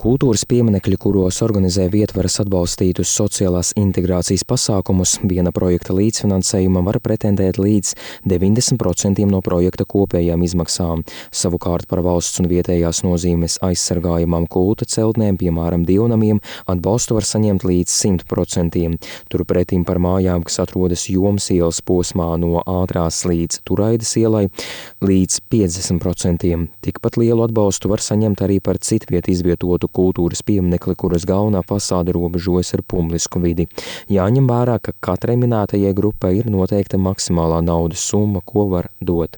Kultūras pieminekļi, kuros organizē Vietvaras atbalstītus sociālās integrācijas pasākumus, viena projekta līdzfinansējuma var pretendēt līdz 90% no projekta kopējām izmaksām. Savukārt par valsts un vietējās nozīmes aizsargājamām kulta celtnēm, piemēram, dievnamiem, atbalstu var saņemt līdz 100%. Turpretim par mājām, kas atrodas Jomas ielas posmā no Ātrās līdz Turaidas ielai, līdz 50%. Tikpat lielu atbalstu var saņemt arī par citviet izvietotu kultūras pieminekli, kuras galvenā fasāde robežojas ar publisku vidi. Jāņem vērā, ka katrai minētajai grupai ir noteikta maksimālā naudas summa, ko var dot.